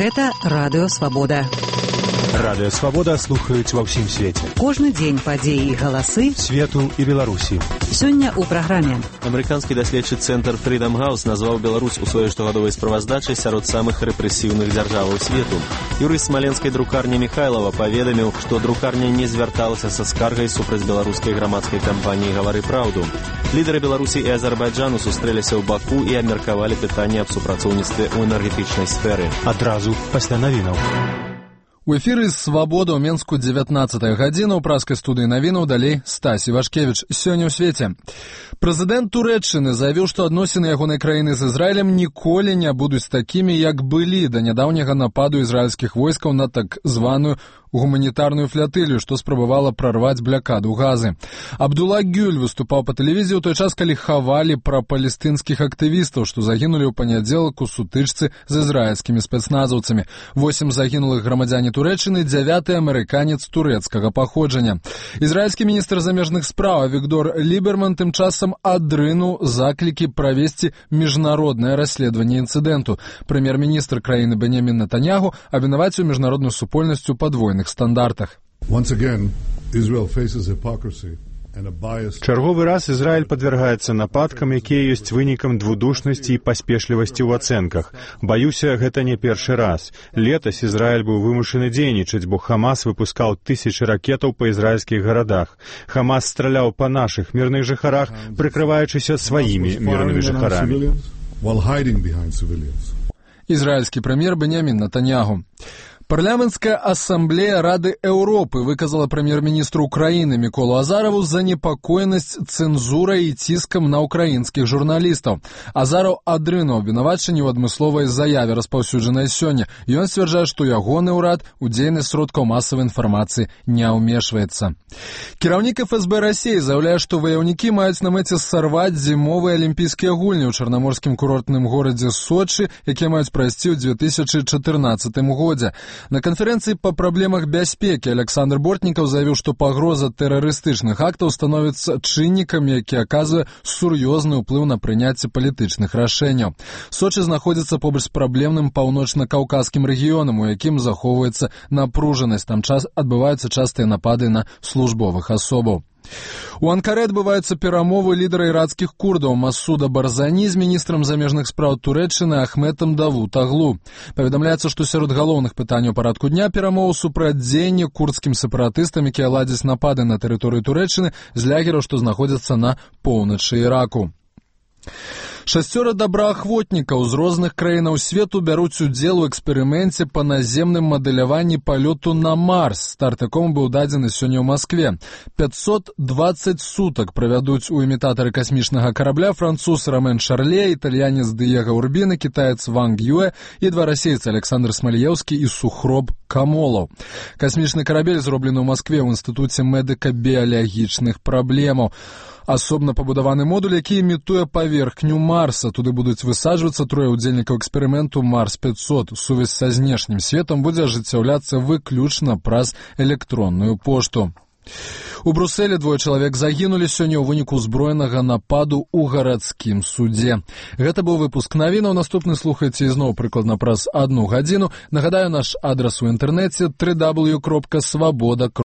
Гэта Радыё Свабода. Радыё Свабода слухаюць ва ўсім свеце. Кожны дзень падзеі і галасы свету і Беларусі. Сёння ў праграме. Амерыканскі даследчы цэнтр Freedom House назваў Беларусь у сваёй штогадовай справаздачы сярод самых рэпрэсіўных дзяржаваў свету. Юрыст смаленскай друкарні Михайлова паведаміў, што друкарня не звярталася са скаргай супраць беларускай грамадскай кампаніі «Гавары праўду». Лідары Беларусі і Азербайджану сустрэліся ў Баку і абмеркавалі пытанне аб супрацоўніцтве ў энергетычнай сферы. Адразу пасля навінаў. У эфіры «Свабода» ў Менску 19 гадзіна, у праскай студыі навінаў, далей Стасі Вашкевіч. Сёння ў свеце. Прэзідэнт Турэччыны заявіў, што адносіны ягонай краіны з Ізраілем ніколі не будуць такімі, як былі да нядаўняга нападу ізраільскіх войскаў на так званую гуманітарную флятылію, што спрабавала прарваць блякаду Газы. Абдулла Гюль выступаў па тэлевізіі ў той час, калі хавалі пра палестынскіх актывістаў, што загінулі ў панядзелак у сутычцы з ізраільскімі спецназаўцамі. 8 загінулых грамадзяне Турэччыны, 9 амерыканец турэцкага паходжання. Ізраільскі міністр замежных спраў Авігдор Ліберман тым часам адрынуў заклікі правесці міжнароднае расследаванне інцыдэнту. Прэм'ер-міністр краіны Беньямін Нетаньяху абвінаваціў міжнародную супольнасць у падвойных стандартах. Чарговы раз Ізраіль падвяргаецца нападкам, якія ёсць вынікам двудушнасці і паспешлівасці ў ацэнках. Баюся, гэта не першы раз. Летась Ізраіль быў вымушаны дзейнічаць, бо Хамас выпускаў тысячы ракетаў па ізраільскіх гарадах. Хамас страляў па нашых мірных жыхарах, прыкрываючыся сваімі мірнымі жыхарамі. Ізраільскі прэм'ер Беньямін Нетаньяху. Парламенцкая асамблея Рады Еўропы выказала прэм'ер-міністру Украіны Міколу Азараву занепакоенасць цэнзурай і ціскам на ўкраінскіх журналістаў. Азараў адрынуў абвінавачанні ў адмысловай заяве, распаўсюджанай сёння. Ён сцвярджае, што ягоны ўрад у дзейнасць сродкаў масавай інфармацыі не ўмешваецца. Кіраўнік ФСБ Расіі заяўляе, што ваяўнікі маюць на мэце сарваць зімовыя алімпійскія гульні ў чарнаморскім курортным горадзе Сочы, якія маюць прайсці ў 2014 годзе. На канферэнцыі па праблемах бяспекі Александр Бортнікаў заявіў, што пагроза тэрарыстычных актаў становіцца чыннікам, які аказвае сур'ёзны ўплыў на прыняцце палітычных рашэнняў. Сочы знаходзіцца побач з праблемным паўночна-каўказскім рэгіёнам, у якім захоўваецца напружанасць. Там адбываюцца частыя напады на службовых асобаў. У Анкары адбываюцца перамовы лідара іракскіх курдаў Масуда Барзані з міністрам замежных спраў Турэччыны Ахметам Давутаглу. Паведамляецца, што сярод галоўных пытанняў парадку дня перамоў супрацьдзеянне курдскім сепаратыстам, якія ладзяць напады на тэрыторыю Турэччыны з лягераў, што знаходзяцца на поўначы Іраку. 6 добраахвотнікаў з розных краінаў свету бяруць удзел у эксперыменце па наземным мадэляванні палёту на Марс, старт якому быў дадзены сёння ў Маскве. 520 сутак правядуць у імітатары касмічнага карабля француз Ромен Шарле, італьянец Дыега Урбіна, кітаец Ванг Юэ і 2 расейцы Александр Смаліеўскі і Сухроб Камолаў. Касмічны карабель зроблены ў Маскве ў інстытуце медыка-біялагічных праблемаў. Асобна пабудаваны модуль, які імітуе паверхню Марса. Туды будуць высаджвацца 3 удзельнікаў эксперыменту Марс-500. Сувязь са знешнім светам будзе ажыццяўляцца выключна праз электронную пошту. У Брусэле 2 чалавек загінулі сёння ў выніку ўзброенага нападу ў гарадскім судзе. Гэта быў выпуск навінаў. Наступны слухайце ізноў прыкладна праз 1 гадзіну. Нагадаю, наш адрас у інтэрнэце www.svoboda.org.